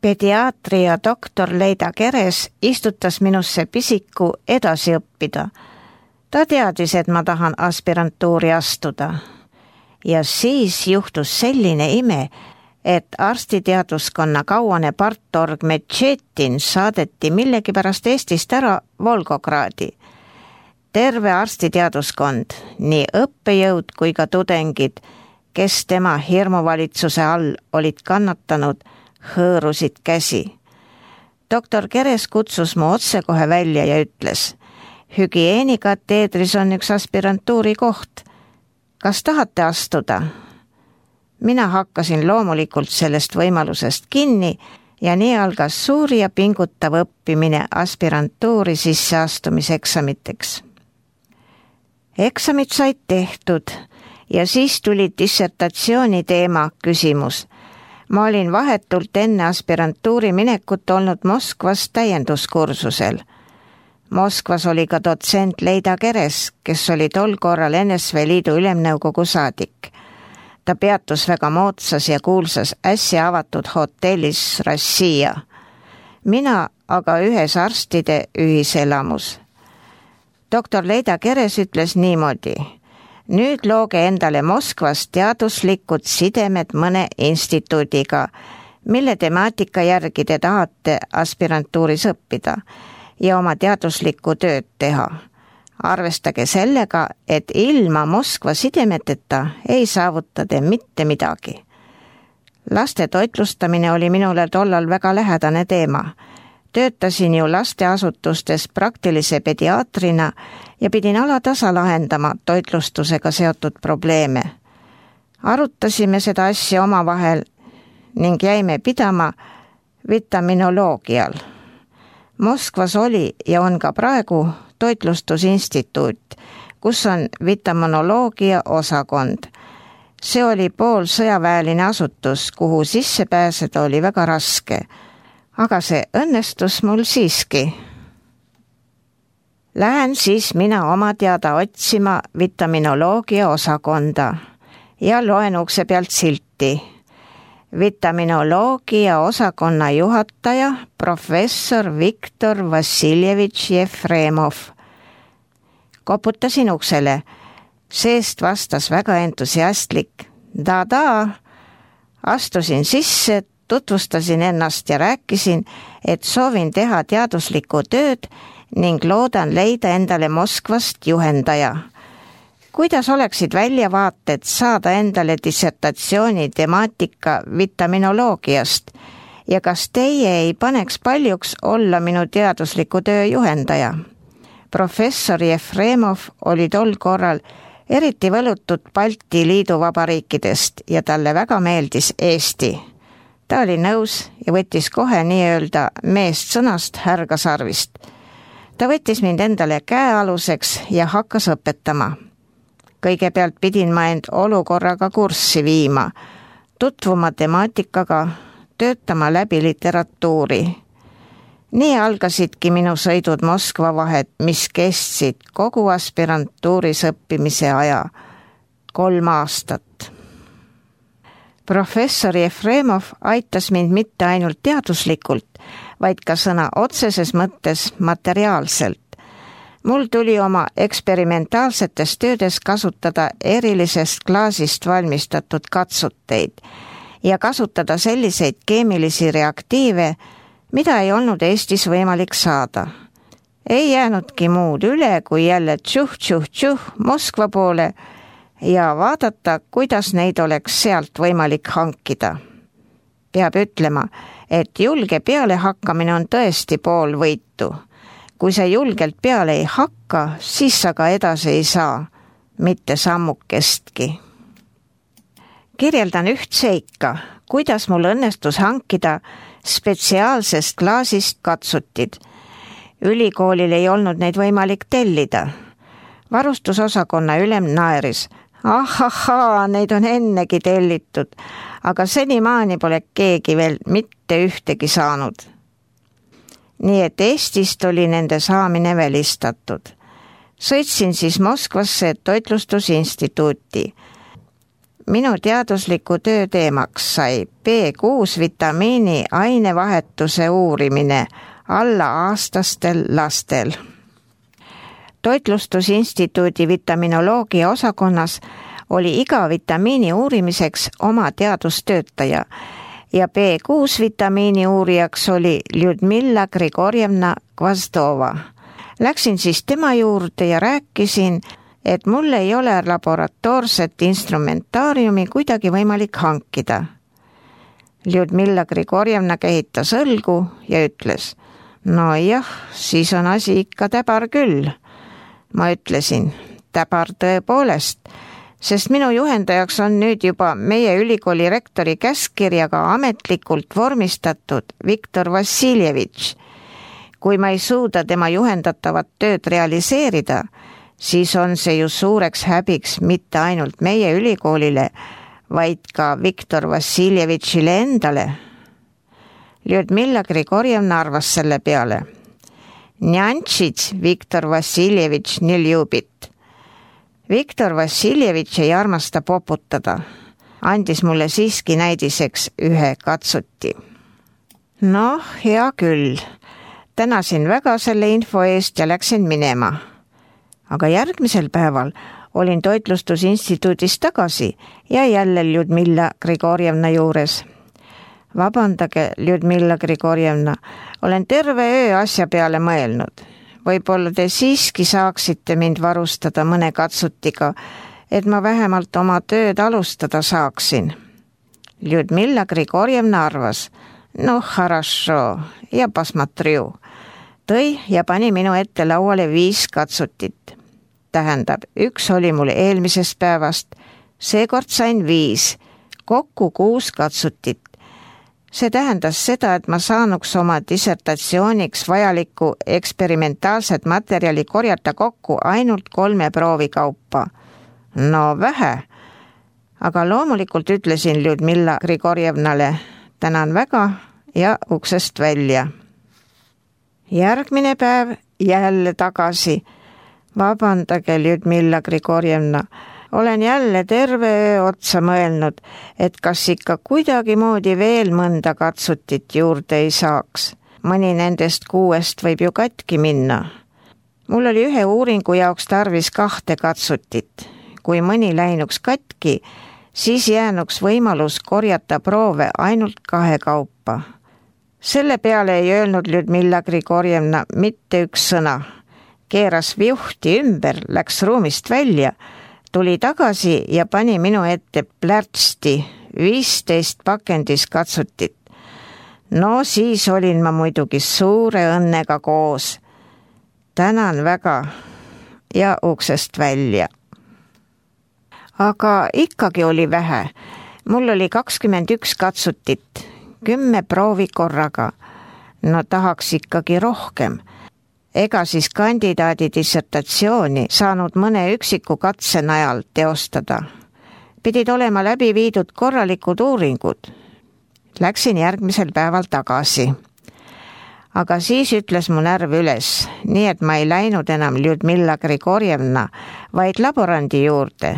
Pediaatria doktor Leida Keres istutas minusse pisiku edasi õppida. Ta teadis, et ma tahan aspirantuuri astuda. Ja siis juhtus selline ime, et arstiteaduskonna kauane partorg Metšetin saadeti millegipärast Eestist ära Volgogradi. Terve arstiteaduskond, nii õppejõud kui ka tudengid, kes tema hirmuvalitsuse all olid kannatanud, hõõrusid käsi. Doktor Keres kutsus mu otsekohe välja ja ütles, hügieenikateedris on üks aspirantuuri koht. Kas tahate astuda? Mina hakkasin loomulikult sellest võimalusest kinni ja nii algas suur ja pingutav õppimine aspirantuuri sisseastumiseksamiteks. Eksamid said tehtud ja siis tuli dissertatsiooni teema küsimus. Ma olin vahetult enne aspirantuuri minekut olnud Moskvas täienduskursusel. Moskvas oli ka dotsent Leida Keres, kes oli tol korral NSV Liidu ülemnõukogu saadik. Ta peatus väga moodsas ja kuulsas äsja avatud hotellis Rossija. Mina aga ühes arstide ühiselamus. Doktor Leida Keres ütles niimoodi, nüüd looge endale Moskvas teaduslikud sidemed mõne instituudiga, mille temaatika järgi te tahate aspirantuuris õppida ja oma teaduslikku tööd teha. Arvestage sellega, et ilma Moskva sidemeteta ei saavuta te mitte midagi. Laste toitlustamine oli minule tollal väga lähedane teema. Töötasin ju lasteasutustes praktilise pediaatrina ja pidin alatasa lahendama toitlustusega seotud probleeme. Arutasime seda asja omavahel ning jäime pidama vitaminoloogial. Moskvas oli ja on ka praegu toitlustusinstituut, kus on vitaminoloogia osakond. See oli poolsõjaväeline asutus, kuhu sisse pääseda oli väga raske. Aga see õnnestus mul siiski. Lähen siis mina oma teada otsima vitaminoloogia osakonda ja loen ukse pealt silti. Vitaminoloogia osakonna juhataja professor Viktor Vassiljevitš Jefremov. Koputasin uksele. Seest vastas väga entusiastlik. Da. Astusin sisse, tutvustasin ennast ja rääkisin, et soovin teha teaduslikku tööd ning loodan leida endale Moskvast juhendaja. Kuidas oleksid väljavaated saada endale dissertatsiooni temaatika vitaminoloogiast ja kas teie ei paneks paljuks olla minu teadusliku töö juhendaja? Professor Jefremov oli tol korral eriti võlutud Balti Liidu vabariikidest ja talle väga meeldis Eesti. Ta oli nõus ja võttis kohe nii-öelda meest sõnast härgasarvist. Ta võttis mind endale käealuseks ja hakkas õpetama. Kõigepealt pidin ma end olukorraga kurssi viima, tutvuma temaatikaga, töötama läbi literatuuri. Nii algasidki minu sõidud Moskva vahet, mis kestsid kogu aspirantuuris õppimise aja, 3 aastat. Professor Jefremov aitas mind mitte ainult teaduslikult, vaid ka sõna otseses mõttes materiaalselt. Mul tuli oma eksperimentaalsetes töödes kasutada erilisest klaasist valmistatud katsuteid ja kasutada selliseid keemilisi reaktiive, mida ei olnud Eestis võimalik saada. Ei jäänudki muud üle, kui jälle tšuh Moskva poole ja vaadata, kuidas neid oleks sealt võimalik hankida. Peab ütlema, et julge peale hakkamine on tõesti pool võitu. Kui sa julgelt peale ei hakka, siis sa ka edasi ei saa, mitte sammukestki. Kirjeldan üht seika, kuidas mul õnnestus hankida spetsiaalsest klaasist katsutid. Ülikoolil ei olnud neid võimalik tellida. Varustusosakonna ülem naeris. Ahahaa, neid on ennegi tellitud, aga senimaani pole keegi veel mitte ühtegi saanud. Nii et Eestist oli nende saamine välistatud. Sõitsin siis Moskvasse toitlustusinstituuti. minu teadusliku töö teemaks sai B6 vitamiini ainevahetuse uurimine alla-aastastel lastel. Toitlustusinstituudi vitaminoloogia osakonnas oli iga vitamiini uurimiseks oma teadustöötaja ja B6 vitamiini uurijaks oli Ljudmilla Grigorjevna Gvazdova. Läksin siis tema juurde ja rääkisin, et mul ei ole laboratoorset instrumentaariumi kuidagi võimalik hankida. Ljudmilla Grigorjevna kehitas õlgu ja ütles, no jah, siis on asi ikka täbar küll. Ma ütlesin, täbar tõepoolest, sest minu juhendajaks on nüüd juba meie ülikooli rektori käskkirjaga ametlikult vormistatud Viktor Vassiljevitš. Kui ma ei suuda tema juhendatavat tööd realiseerida, siis on see ju suureks häbiks mitte ainult meie ülikoolile, vaid ka Viktor Vassiljevitšile endale. Ljudmilla Grigorjevna arvas selle peale. Njantšits Viktor Vassiljevitš ne ljubit. Viktor Vassiljevitš ei armasta poputada. Andis mulle siiski näidiseks ühe katsuti. Noh, hea küll. Tänasin väga selle info eest ja läksin minema. Aga järgmisel päeval olin toitlustusinstituudis tagasi ja jälle Ljudmilla Grigorjevna juures. Vabandage, Ljudmilla Grigorjevna, olen terve öö asja peale mõelnud. Võib-olla te siiski saaksite mind varustada mõne katsutiga, et ma vähemalt oma tööd alustada saaksin. Ljudmilla Grigorjevna arvas, noh, harašo, ja pasmatriu. Tõi ja pani minu ette lauale 5 katsutit. Tähendab, 1 oli mul eelmisest päevast, seekord sain 5, kokku 6 katsutit. See tähendas seda, et ma saanuks oma dissertatsiooniks vajalikku eksperimentaalset materjali korjata kokku ainult 3 proovi kaupa. No vähe, aga loomulikult ütlesin Ljudmilla Grigorjevnale, tänan väga ja uksest välja. Järgmine päev jälle tagasi. Vabandage, Ljudmilla Grigorjevna, olen jälle terve öö otsa mõelnud, et kas ikka kuidagi moodi veel mõnda katsutit juurde ei saaks. Mõni nendest 6 võib ju katki minna. Mul oli ühe uuringu jaoks tarvis 2 katsutit. Kui mõni läinuks katki, siis jäänuks võimalus korjata proove ainult 2 kaupa. Selle peale ei öelnud Ljudmilla Grigorjevna mitte 1 sõna. Keeras viuhti ümber, läks ruumist välja, tuli tagasi ja pani minu ette plärtsti 15 pakendis katsutit. No siis olin ma muidugi suure õnnega koos. Tänan väga ja uksest välja. Aga ikkagi oli vähe. Mul oli 21 katsutit, 10 proovi korraga. No tahaks ikkagi rohkem. Ega siis kandidaadi dissertatsiooni saanud mõne üksiku katse najal teostada. Pidid olema läbi viidud korralikud uuringud. Läksin järgmisel päeval tagasi. Aga siis ütles mu närv üles, nii et ma ei läinud enam Ljudmilla Grigorjevna, vaid laborandi juurde.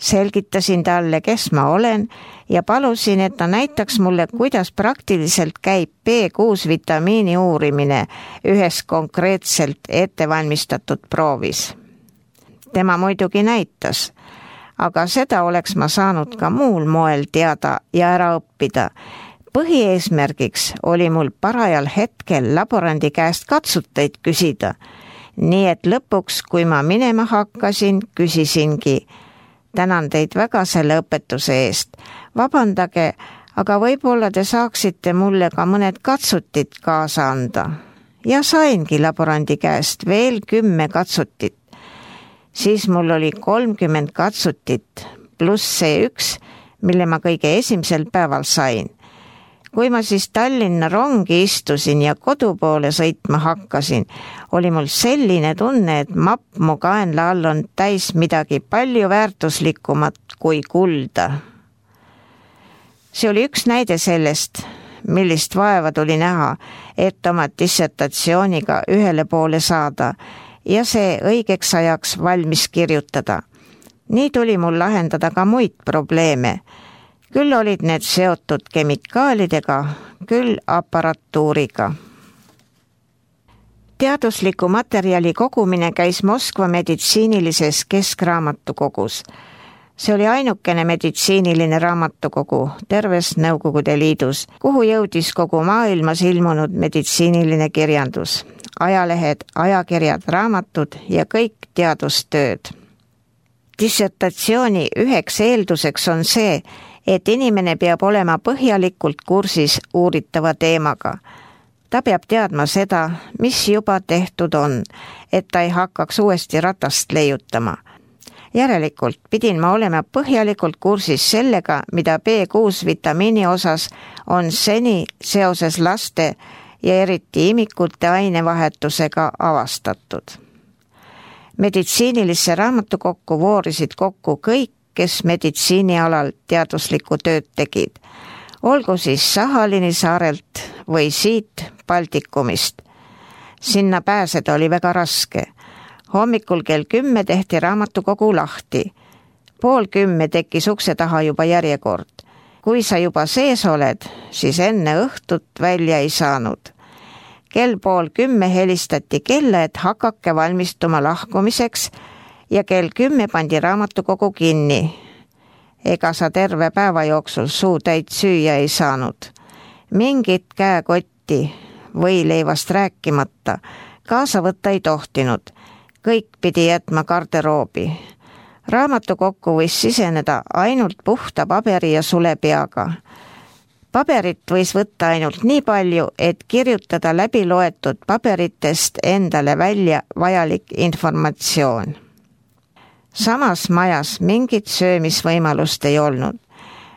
Selgitasin talle, kes ma olen ja palusin, et ta näitaks mulle, kuidas praktiliselt käib B6 vitamiini uurimine ühes konkreetselt ettevalmistatud proovis. Tema muidugi näitas, aga seda oleks ma saanud ka muul moel teada ja ära õppida. Põhieesmärgiks oli mul parajal hetkel laborandi käest katsuteid küsida, nii et lõpuks, kui ma minema hakkasin, küsisingi, tänan teid väga selle õpetuse eest. Vabandage, aga võib-olla te saaksite mulle ka mõned katsutit kaasa anda. Ja saingi laborandi käest veel 10 katsutit. Siis mul oli 30 katsutit, pluss see 1, mille ma kõige esimesel päeval sain. Kui ma siis Tallinna rongi istusin ja kodu poole sõitma hakkasin, oli mul selline tunne, et mapp mu kaenla all on täis midagi palju väärtuslikumat kui kulda. See oli üks näide sellest, millist vaeva tuli näha, et oma dissertatsiooniga ühele poole saada ja see õigeks ajaks valmis kirjutada. Nii tuli mul lahendada ka muid probleeme. Küll olid need seotud kemikaalidega, küll aparatuuriga. Teadusliku materjali kogumine käis Moskva meditsiinilises keskraamatukogus. See oli ainukene meditsiiniline raamatukogu terves Nõukogude Liidus, kuhu jõudis kogu maailmas ilmunud meditsiiniline kirjandus, ajalehed, ajakirjad, raamatud ja kõik teadustööd. Dissertatsiooni üheks eelduseks on see, et inimene peab olema põhjalikult kursis uuritava teemaga. Ta peab teadma seda, mis juba tehtud on, et ta ei hakkaks uuesti ratast leiutama. Järelikult pidin ma olema põhjalikult kursis sellega, mida B6 vitamiini osas on seni seoses laste ja eriti imikute ainevahetusega avastatud. Meditsiinilisse raamatukokku voorisid kokku kõik, kes meditsiinialal teaduslikku tööd tegid. Olgu siis Sahalini saarelt või siit Baltikumist. Sinna pääseda oli väga raske. Hommikul kell 10 tehti raamatukogu lahti. 9:30 tekkis ukse taha juba järjekord. Kui sa juba sees oled, siis enne õhtut välja ei saanud. Kell 9:30 helistati kella, et hakake valmistuma lahkumiseks ja kell 10 pandi raamatukogu kinni. Ega sa terve päeva jooksul suutäit süüa ei saanud. Mingit käekotti või leivast rääkimata kaasa võtta ei tohtinud. Kõik pidi jätma garderoobi. Raamatukokku võis siseneda ainult puhta paberi ja sulepeaga. Paberit võis võtta ainult nii palju, et kirjutada läbi loetud paberitest endale välja vajalik informatsioon. Samas majas mingit söömisvõimalust ei olnud.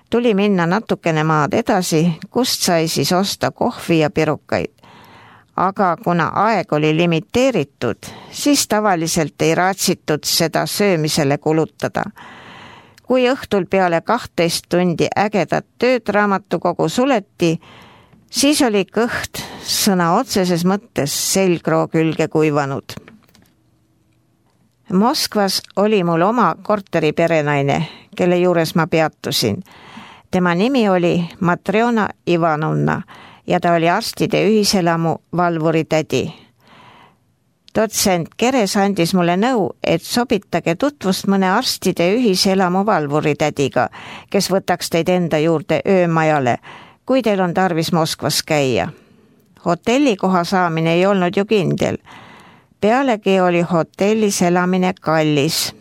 Tuli minna natukene maad edasi, kust sai siis osta kohvi ja pirukaid. Aga kuna aeg oli limiteeritud, siis tavaliselt ei raatsitud seda söömisele kulutada. Kui õhtul peale 12 tundi ägedat tööd raamatukogu suleti, siis oli kõht sõna otseses mõttes selgroo külge kuivanud. Moskvas oli mul oma korteri perenaine, kelle juures ma peatusin. Tema nimi oli Matrjona Ivanovna ja ta oli arstide ühiselamu valvuritädi. Dotsent Keres andis mulle nõu, et sobitage tutvust mõne arstide ühiselamu valvuritädiga, kes võtaks teid enda juurde öömajale, kui teil on tarvis Moskvas käia. Hotellikoha saamine ei olnud ju kindel. Pealegi oli hotellis elamine kallis.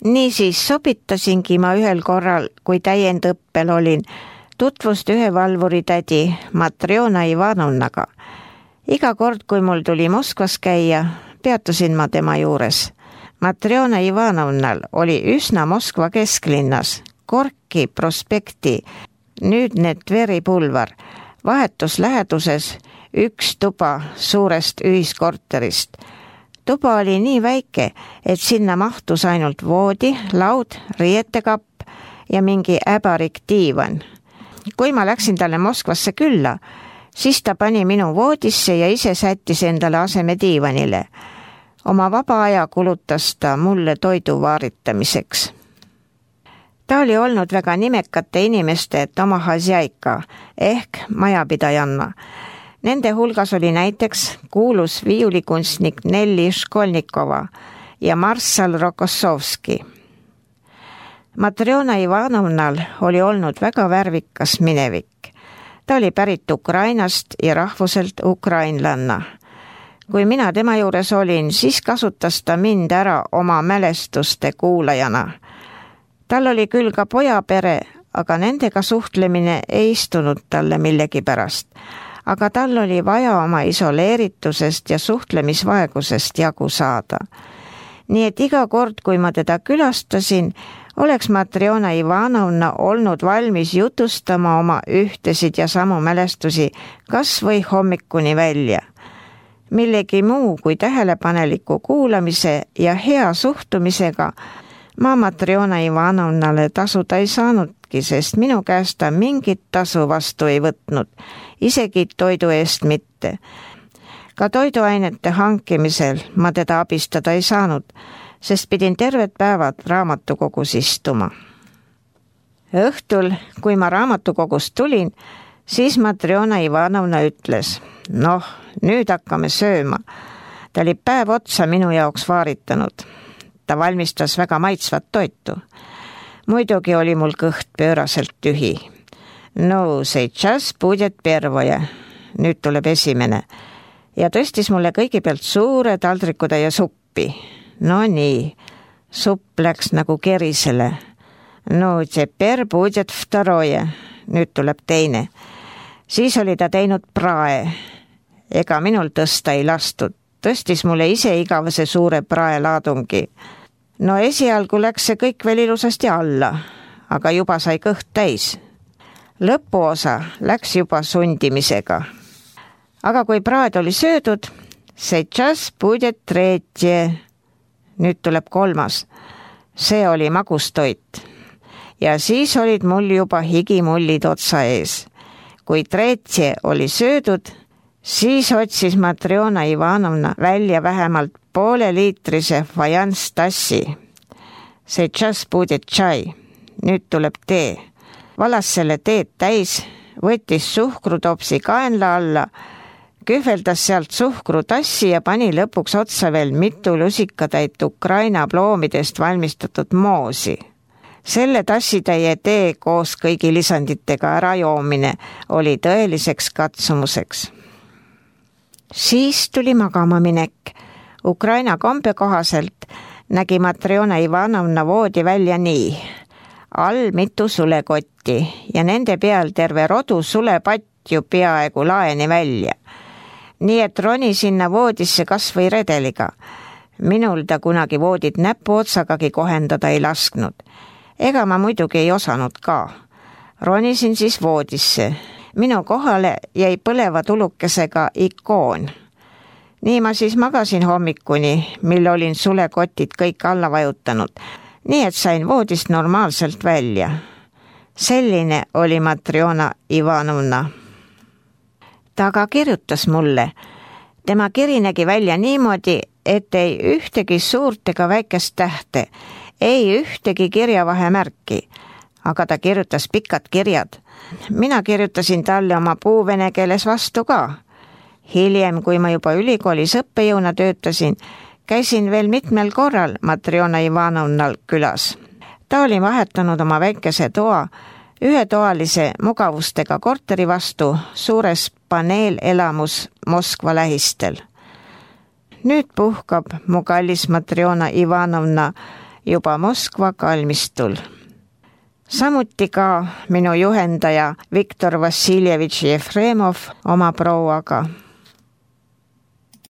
Niisiis sobitasingi ma ühel korral, kui täiendõppel olin, tutvust ühe valvuritädi Matrjona Ivanovnaga. Iga kord, kui mul tuli Moskvas käia, peatusin ma tema juures. Matrjona Ivanovnal oli üsna Moskva kesklinnas, Gorki prospekti, nüüdne Tveri pulvar, vahetus läheduses üks tuba suurest ühiskorterist. Tuba oli nii väike, et sinna mahtus ainult voodi, laud, riietekapp ja mingi äbarik diivan. Kui ma läksin talle Moskvasse külla, siis ta pani minu voodisse ja ise sättis endale aseme diivanile. Oma vaba aja kulutas ta mulle toidu vaaritamiseks. Ta oli olnud väga nimekate inimeste domahhozjaika ehk majapidajanna. Nende hulgas oli näiteks kuulus viiulikunstnik Nelli Školnikova ja marssal Rokossovski. Matrjona Ivanovnal oli olnud väga värvikas minevik. Ta oli pärit Ukrainast ja rahvuselt ukrainlanna. Kui mina tema juures olin, siis kasutas ta mind ära oma mälestuste kuulajana. Tal oli küll ka pojapere, aga nendega suhtlemine ei istunud talle millegipärast. Aga tal oli vaja oma isoleeritusest ja suhtlemisvaegusest jagu saada. Nii et iga kord, kui ma teda külastasin, oleks Matrjona Ivanovna olnud valmis jutustama oma ühtesid ja samu mälestusi kas või hommikuni välja. Millegi muu kui tähelepaneliku kuulamise ja hea suhtumisega ma Matrjona Ivanovnale tasuda ei saanudki, sest minu käest ta mingit tasu vastu ei võtnud, isegi toidu eest mitte. Ka toiduainete hankimisel ma teda abistada ei saanud, sest pidin terved päevad raamatukogus istuma. Õhtul, kui ma raamatukogust tulin, siis Matrjona Ivanovna ütles, noh, nüüd hakkame sööma. Ta oli päev otsa minu jaoks vaaritanud. Ta valmistas väga maitsvat toitu. Muidugi oli mul kõht pööraselt tühi. No, сейчас будет первое. Nüüd tuleb esimene. Ja tõstis mulle kõigepealt suure taldrikutäie suppi. No nii, supp läks nagu kerisele. No, teper будет второе. Nüüd tuleb teine. Siis oli ta teinud prae. Ega minul tõsta ei lastud. Tõstis mulle ise igavese suure praelaadungi. No esialgu läks see kõik veel ilusasti alla, aga juba sai kõht täis. Lõpuosa läks juba sundimisega. Aga kui praed oli söödud, сейчас будет третье. Nüüd tuleb kolmas. See oli magustoit. Ja siis olid mul juba higimullid otsa ees. Kui tretье oli söödud, siis otsis Matrjona Ivanovna välja vähemalt pooleliitrise fajans tassi. Сейчас будет чай. Nüüd tuleb tee. Valas selle teed täis, võttis suhkrutopsi kaenla alla, kühveldas sealt suhkrutassi ja pani lõpuks otsa veel mitu lusikatäit Ukraina ploomidest valmistatud moosi. Selle tassitäie tee koos kõigi lisanditega ära joomine oli tõeliseks katsumuseks. Siis tuli magama minek. Ukraina kombe kohaselt nägi Matrjona Ivanovna voodi välja nii. All mitu sulekotti ja nende peal terve rodu sulepatju peaaegu laeni välja. Nii et roni sinna voodisse kas või redeliga. Minul ta kunagi voodid näpu otsagagi kohendada ei lasknud. Ega ma muidugi ei osanud ka. Ronisin siis voodisse. Minu kohale jäi põleva tulukesega ikoon. Nii ma siis magasin hommikuni, mil olin sulekotid kõik alla vajutanud. Nii et sain voodist normaalselt välja. Selline oli Matrjona Ivanovna. Ta aga kirjutas mulle. Tema kiri nägi välja niimoodi, et ei ühtegi suurt ega väikest tähte, ei ühtegi kirjavahemärki, aga ta kirjutas pikad kirjad. Mina kirjutasin talle oma puu vene keeles vastu ka. Hiljem, kui ma juba ülikoolis õppejõuna töötasin, käisin veel mitmel korral Matrjona Ivanovnal külas. Ta oli vahetanud oma väikese toa ühetoalise mugavustega korteri vastu suures paneelelamus Moskva lähistel. Nüüd puhkab mu kallis Matrjona Ivanovna juba Moskva kalmistul. Samuti ka minu juhendaja Viktor Vassiljevitš Jefremov oma prouaga.